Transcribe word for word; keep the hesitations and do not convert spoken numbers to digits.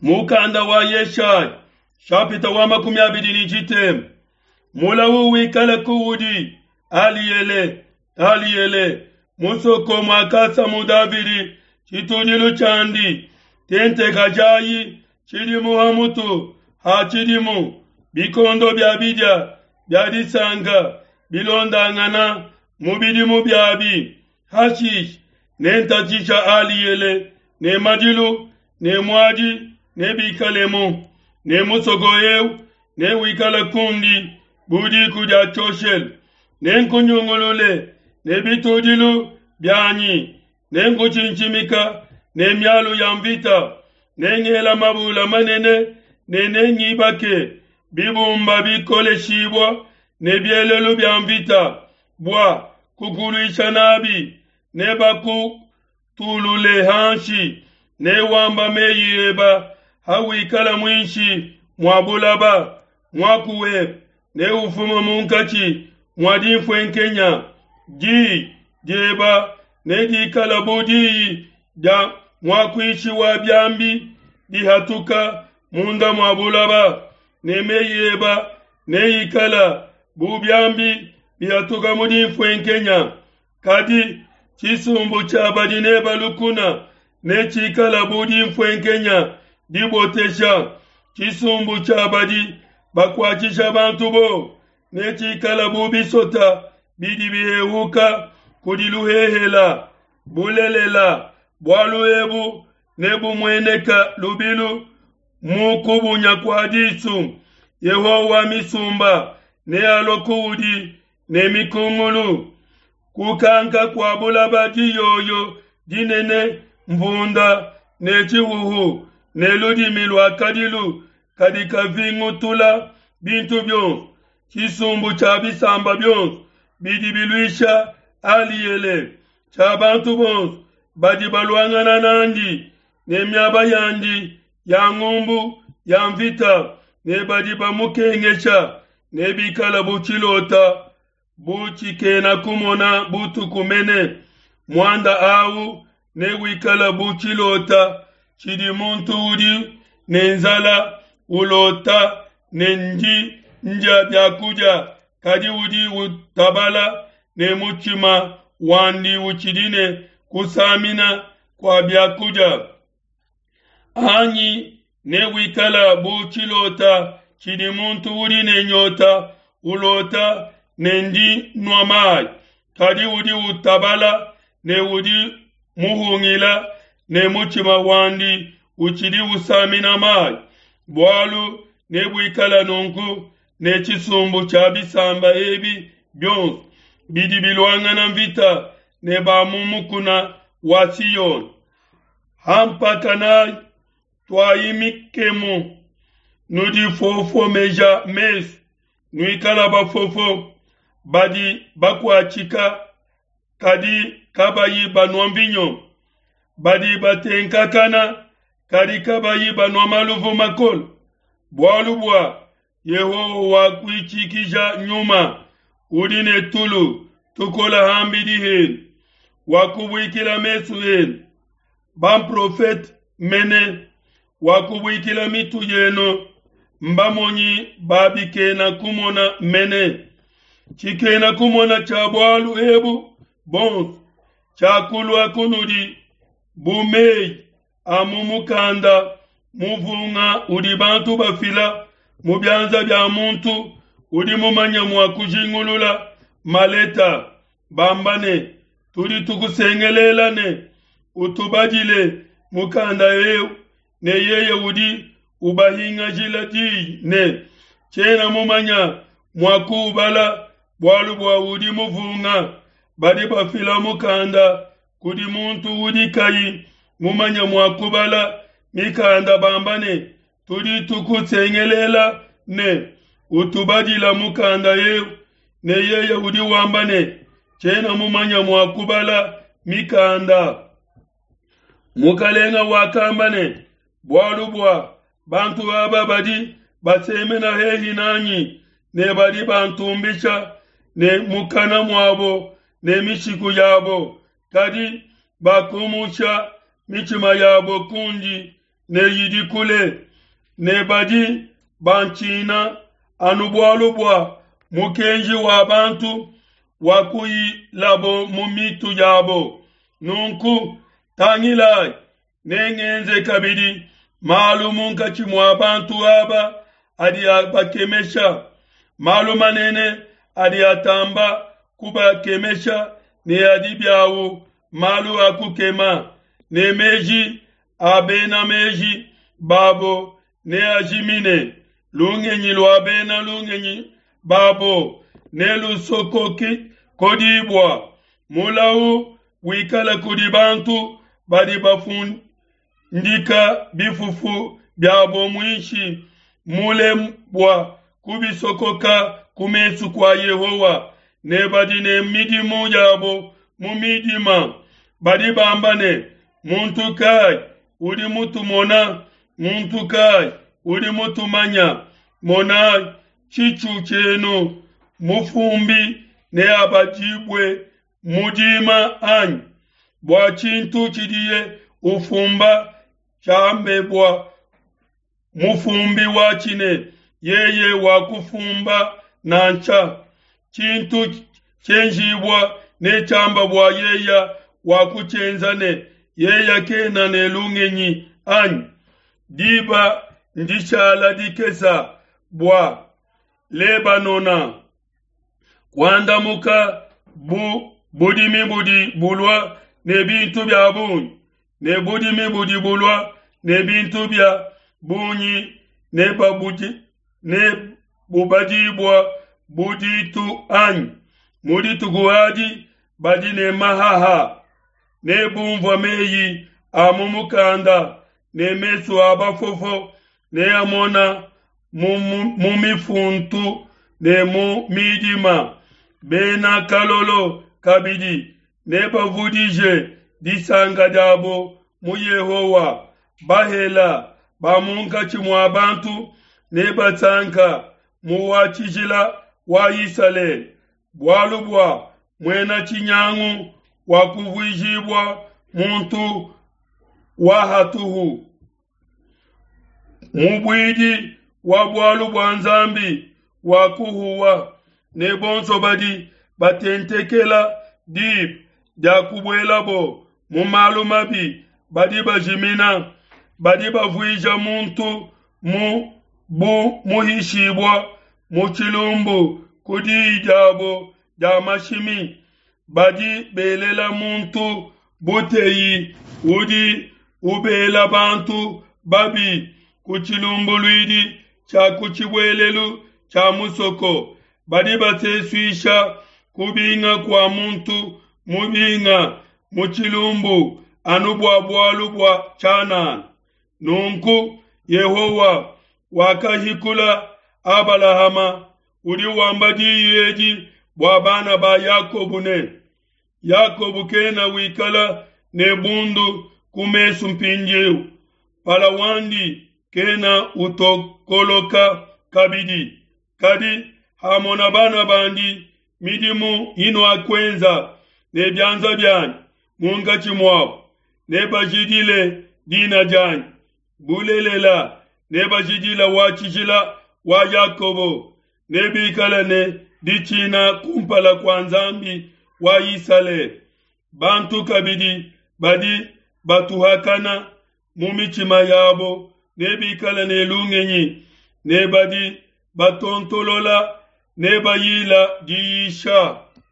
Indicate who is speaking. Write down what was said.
Speaker 1: Mukanda wa Yeshaya shapita wa makumi abidi ne tshitema. Mulawu wikale kuudi Aliele, Aliele, musoko muakasamu Davidi tshitudilu tshiandi, tentekajayi tshidimu ha mutu ha tshidimu, bikondo bia bidia bia disanka bilondangana mu bidimu biabi. Hashishe nentatshisha Aliele ne madilu ne muadi nebikalemu, ne musoko eu newikale kundi bu diku dia tshioshelu. Nenkunyungulule ne bitudilu bianyi, nenkutshintshimika ne mialu ya mvita, nengela mabula manene ne nengibake bibumba bikoleshibua ne bielelu bia mvita bua kukuluisha nabi. Nebakutulule hanshi, newamba meyi eba hawikala muinshi mua bulaba. Muaku webe neufuma munkatshi mua dinfuenkenya, diyi dieba nedikala bu diyi dia muakuishi wa biambi dihatuka munda mua bulaba, ne meyi eba neikala bu biambi bihatuka mu dinfuenkenya. Kadi tshisumbu tshia badi neba lukuna netshikala bu dinfuenkenya dibotesha, tshisumbu tshia badi bakuatshisha bantu bo netshikala bu bisota bidi bihehuka kudi luhehela. Bulelela, bualu ebu nebumueneka lubilu mu kubunya kua disu. Yehowa wa misumba nealue kuudi ne mikungulu, kukanka kua bulaba, diyoyo dinene, mvunda ne tshihuhu ne ludimi lua kadilu kadi kavingutula bintu bionso. Tshisumbu tshia bisamba bionso bidi biluisha Aliele, tshia bantu bonso badi baluangana nandi ne miaba yandi ya ngumbu ya mvita ne badi bamukengesha nebikala bu tshilota, bu tshikena kumona butuku mene. Muanda au newikala bu tshilota tshidi muntu udi ne nzala ulota ne ndi ndia biakudia, kadi udi utabala ne mutshima wandi utshidi ne kusamina kua biakudia. Anyi newikala bu tshilota tshidi muntu udi ne nyota ulota ne ndi nua mayi, kadi udi utabala ne udi muhungila ne mutshima wandi utshidi usamina mayi. Bualu nebuikala nunku ne tshisumbu tshia bisamba ebi bionso bidi biluangana mvita ne ba mu mukuna wa Siyoni. Hampakanayi, tuayi mikemu, nudifofomeja mesu, nuikala bafofo badi bakuatshika kadi kabayi banua mvinyo, badi batenkakana kadi kabayi banua maluvu makole. Bualu bua Yehowa wakuitshikija nyuma udi ne tulu tukola hambidi henu, wakubuikila mesu enu bamprofete mene, wakubuikila mitu yenu mbamonyi babikena kumona mene. Tshikena kumona tshia bualu ebu bonso tshiakulua kunudi bu meyi a mu mukanda muvunga udi bantu bafila mu bianza bia muntu udi mumanye mua kujingulula maleta, bamba ne, tudi tukusengelela ne utubadile mukanda eu, ne yeye udi ubahingajila diyi ne, tshiena mumanya mua kuubala bualu bua udi muvunga. Badi bafila mukanda kudi muntu udi kayi mumanye mua kubala mikanda, bamba ne, tudi tukusengelela ne utubadila mukanda eu, ne yeye udi wamba ne, tshiena mumanye mua kubala mikanda. Mukalenga wakamba ne, bualu bua bantu aba badi basemena hehi nanyi ne badi bantumbisha ne mukana muabo ne mishiku yabo, kadi bakumusha mitshima yabo kundi, ne yidi kule, ne badi bantshina anu bualu bua mukenji wa bantu wakuyilabo mu mitu yabo. Nunku tangilai, nengenze kabidi malu munkatshi mua bantu aba adi abakemesha, malu manene adi atamba kubakemesha ne adi biawu malu a kukema, ne meji a bena meji babo neajimine, lungenyi lua bena lungenyi babo nelusokokedibua. Mulau wikala kudi bantu badi bafundika bifufu biabo muinshi mule bua kubisokoka ku mesu kua Yehowa, ne badi ne midimu yabo mu midima. Badi bamba ne, muntu kai udi mutumona? Muntu kai udi mutumanya? Mona tshitshu tshienu, mufumbi neabadibue mu dima anyi? Bua tshintu tshidiye ufumba tshiambe bua mufumbi watshi ne, yeye wakufumba nansha. Tshintu tshienjibua ne tshiamba bua yeye wakutshienza ne, yeye kena ne lungenyi anyi? Diba ndishala dikesa bua Lebanona kuandamuka bu budimi budi bulua ne bintu bia bungi, ne budimi budi bulua ne bintu bia bungi ne babudi ne bubadibua bu ditu anyi? Mu dituku adi badi ne mahaha ne bumvua meyi a mu mukanda, ne mesu a bafofo ne amona mu, mu, mu mifuntu ne mu midima. Bena kalolo kabidi nebavudije disanka diabo mu Yehowa. Bahela ba munkatshi mua bantu nebasanka mu wa tshijila wa Isalele, bualu bua muena tshinyangu wakuvuijibua muntu wa hatuhu, mubuidi wa bualu bua Nzambi wakuhuwa, ne bonso badi batentekela diba dia kubuelabo mu malu mabi badi bajimina, badi bavuija muntu mu bu muhishibua mu tshilumbu ku diyi diabo dia mashimi, badi belela muntu buteyi udi ubela bantu babi ku tshilumbuluidi tshia ku tshibuelelu tshia musoko, badi basesuisha kubinga kua muntu mubinga mu tshilumbu anu bua bualu bua tshianana. Nunku Yehowa wakahikula Abalahama udi wamba diyi edi bua bana ba Yakobo ne, Yakobo kena wikala ne bundu ku mesu mpindieu, mpala wandi kena utokoloka kabidi. Kadi hamona bana bandi midimu inuakuenza ne bianza bianyi munkatshi muabo, nebajidile dina dianyi. Bulelela, nebajidile wa tshijila wa Yakobo, nebikale ne ditshina kumpala kua Nzambi wa Isalele. Bantu kabidi badi batuhakana mu mitshima yabo nebikale ne lungenyi, ne badi batontolola nebayila diyisha.